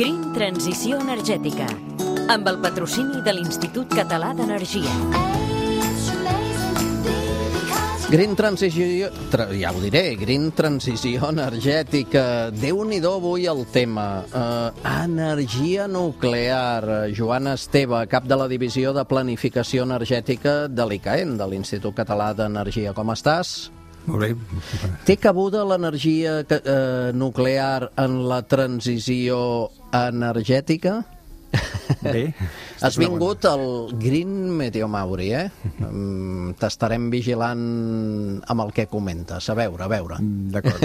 Green Transició Energètica, amb el patrocini de l'Institut Català d'Energia. Green Transició, ja ho diré, Green Transició Energètica. Déu-n'hi-do avui el tema. Energia nuclear. Joan Esteve, cap de la Divisió de Planificació Energètica de l'ICAEN, de l'Institut Català d'Energia. Com estàs? Molt bé. Té cabuda l'energia nuclear en la transició energètica? Bé. Has vingut al Green Meteomauri, T'estarem vigilant amb el que comentes. A veure. D'acord.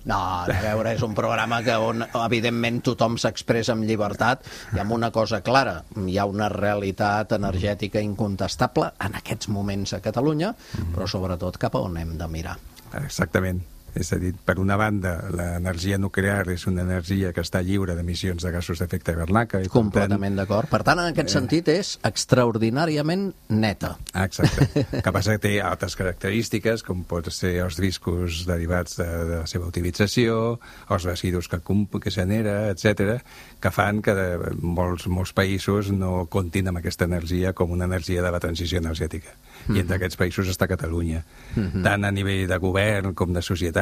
No, a veure, és un programa on, evidentment, tothom s'expressa amb llibertat i amb una cosa clara. Hi ha una realitat energètica incontestable en aquests moments a Catalunya, però sobretot cap a on hem de mirar. Exactament. És a dir, per una banda, l'energia nuclear és una energia que està lliure d'emissions de gasos d'efecte hivernacle. Completament d'acord. Per tant, en aquest sentit, és extraordinàriament neta. Exacte. Que passa que té altres característiques, com pot ser els riscos derivats de la seva utilització, els residus que genera, etc., que fan que molts països no comptin amb aquesta energia com una energia de la transició energètica. I entre aquests països està Catalunya. Tant a nivell de govern com de societat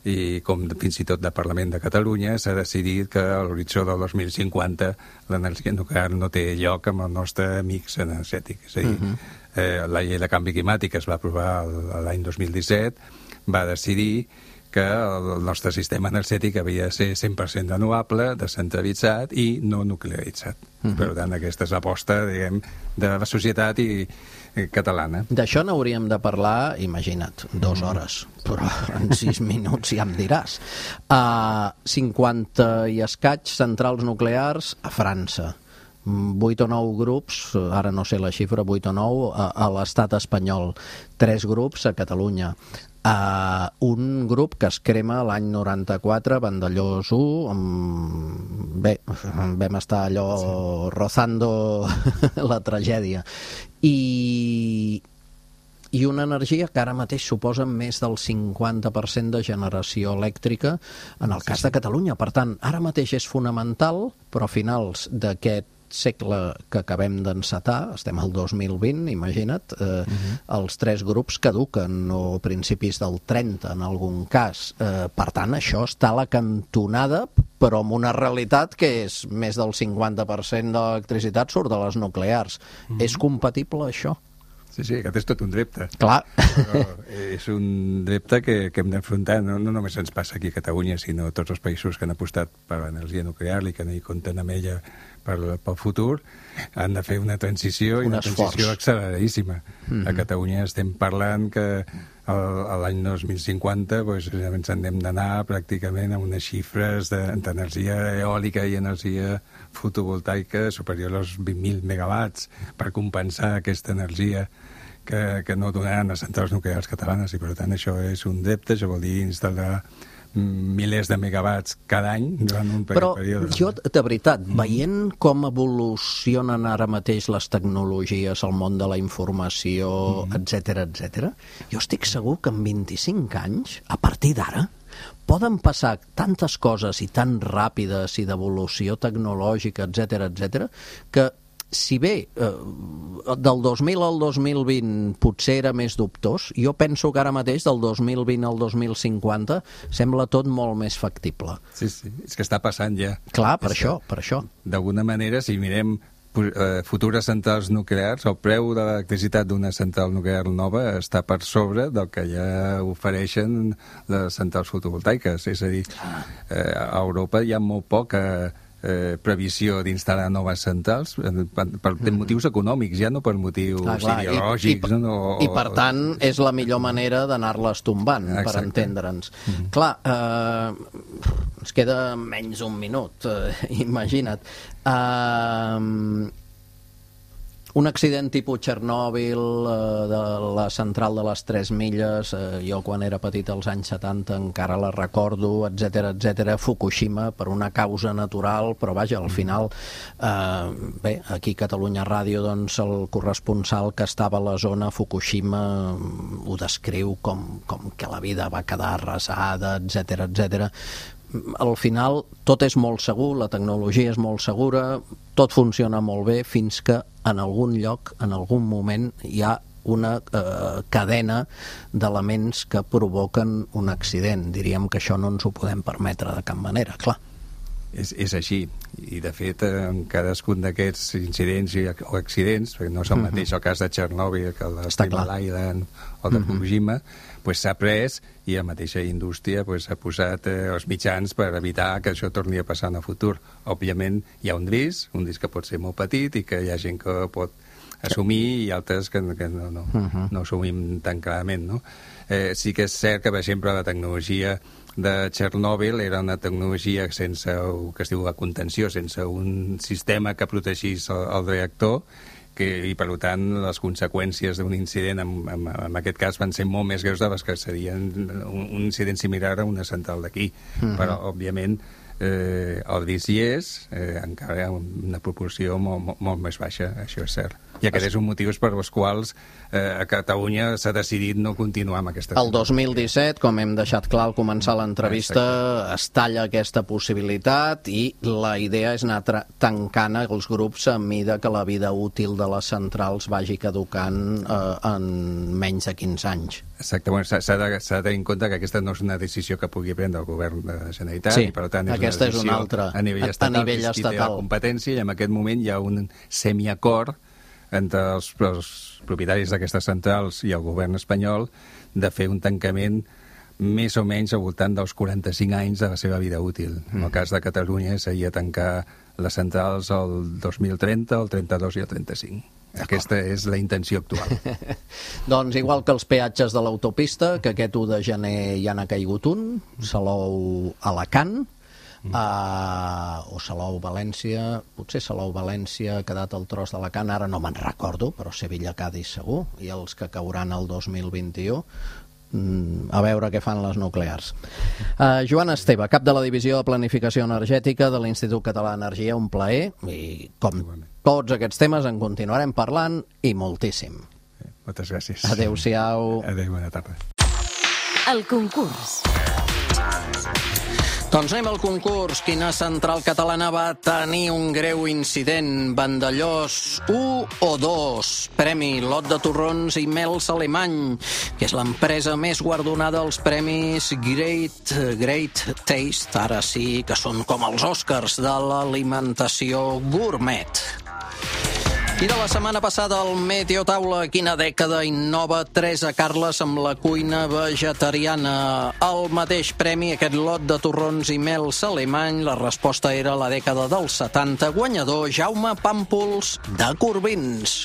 i com fins i tot de Parlament de Catalunya s'ha decidit que a l'horitzó del 2050 l'energia nuclear no té lloc amb el nostre mix energètic. És a dir, la llei de canvi climàtic es va aprovar l'any 2017, va decidir que el nostre sistema energètic havia de ser 100% renovable, descentralitzat i no nuclearitzat. Per tant, aquesta és l'aposta, diguem, de la societat catalana. D'això n'hauríem de parlar, imagina't, 2 hores, però en 6 minuts ja em diràs. 50 i escaig centrals nuclears a França. 8 o 9 grups, ara no sé la xifra, 8 o 9 a l'estat espanyol, 3 grups a Catalunya. Un grup que es crema l'any 94, Vandellós 1, bé, vam estar allò rozando la tragèdia. I una energia que ara mateix suposa més del 50% de generació elèctrica en el cas de Catalunya. Per tant, ara mateix és fonamental, però a finals d'aquest segle que acabem d'encetar, estem al 2020, imagina't, els 3 grups caduquen, o principis del 30 en algun cas. Per tant, això està a la cantonada, però amb una realitat que és més del 50% de l'electricitat surt de les nuclears. És compatible això? Sí, aquest és tot un repte. Clar. Però és un repte que hem d'enfrontar. No només ens passa aquí a Catalunya, sinó a tots els països que han apostat per l'energia nuclear i que no hi compten amb ella pel futur, han de fer una transició acceleradíssima. A Catalunya estem parlant que l'any 2050 ens hem d'anar pràcticament a unes xifres d'energia eòlica i energia fotovoltaica superior als 20.000 megawatts per compensar aquesta energia que no donaran les centrals nuclears catalanes, i per tant això és un repte. Això vol dir instal·lar milers de megawatts cada any durant un període. Però jo, de veritat, veient com evolucionen ara mateix les tecnologies, el món de la informació, etc., jo estic segur que en 25 anys, a partir d'ara, poden passar tantes coses i tan ràpides i d'evolució tecnològica, etc., que si bé del 2000 al 2020 potser era més dubtós, jo penso que ara mateix del 2020 al 2050 sembla tot molt més factible. Sí, és que està passant ja. Clar, per això. D'alguna manera, si mirem futures centrals nuclears, el preu de l'electricitat d'una central nuclear nova està per sobre del que ja ofereixen les centrals fotovoltaiques. És a dir, a Europa hi ha molt poca previsió d'instal·lar noves centrals per motius econòmics, ja no per motius ideològics. I per tant és la millor manera d'anar-les tombant. Exacte. Per entendre'ns. Clar, ens queda menys d'un minut, imagina't. Un accident tipus Txernòbil, de la central de les 3 milles, jo quan era petit als anys 70 encara la recordo, etc. Fukushima, per una causa natural, però vaja, al final, bé, aquí a Catalunya Ràdio, doncs el corresponsal que estava a la zona Fukushima ho descriu com que la vida va quedar arrasada, etc. al final tot és molt segur, la tecnologia és molt segura, tot funciona molt bé fins que en algun lloc, en algun moment, hi ha una cadena d'elements que provoquen un accident. Diríem que això no ens ho podem permetre de cap manera, clar. És així, i de fet en cadascun d'aquests incidents o accidents, perquè no és el mateix el cas de Txernòbil que el de Three Island o de Fukushima, s'ha pres i la mateixa indústria s'ha posat els mitjans per evitar que això torni a passar en el futur. Òbviament hi ha un risc que pot ser molt petit i que hi ha gent que pot assumir i altres que no assumim tan clarament, no? Sí que és cert que, per exemple, la tecnologia de Txernòbil era una tecnologia sense el que es diu la contenció, sense un sistema que protegís el reactor, i per tant les conseqüències d'un incident en aquest cas van ser molt més greus de les que serien un incident similar a una central d'aquí. Però òbviament el risc hi és, encara una proporció molt més baixa, això és cert. I aquest és un motiu per als quals a Catalunya s'ha decidit no continuar amb aquesta... El 2017, com hem deixat clar al començar l'entrevista, es talla aquesta possibilitat i la idea és anar tancant els grups a mida que la vida útil de les centrals vagi caducant en menys de 15 anys. Exacte, s'ha de tenir en compte que aquesta no és una decisió que pugui prendre el govern de la Generalitat, sí, i per tant és aquesta una decisió és una altra, a nivell estatal, qui té la competència, i en aquest moment hi ha un semiacord entre els propietaris d'aquestes centrals i el govern espanyol de fer un tancament més o menys al voltant dels 45 anys de la seva vida útil. En el cas de Catalunya seria tancar les centrals el 2030, el 32 i el 35. Aquesta és la intenció actual. Doncs igual que els peatges de l'autopista, que aquest 1 de gener ja n'ha caigut un, Salou-Alacant, o Salou-València, potser Salou-València ha quedat el tros d'Alacant, ara no me'n recordo, però Sevilla-Cadis segur, i els que cauran el 2021, a veure què fan les nuclears. Joan Esteve, cap de la Divisió de Planificació Energètica de l'Institut Català d'Energia, un plaer, i com tots aquests temes en continuarem parlant, i moltíssim. Moltes gràcies. Adéu-siau. Adéu, bona tarda. El concurs. Doncs anem al concurs. Quina central catalana va tenir un greu incident? Vandellós 1 o 2? Premi Lot de Torrons i Mels Alemany, que és l'empresa més guardonada als premis Great Taste, ara sí que són com els Oscars de l'alimentació gourmet. I de la setmana passada al Meteo Taula, quina dècada innova Teresa Carles amb la cuina vegetariana? El mateix premi, aquest lot de torrons i mels alemany, la resposta era la dècada dels 70, guanyador Jaume Pàmpols de Corbins.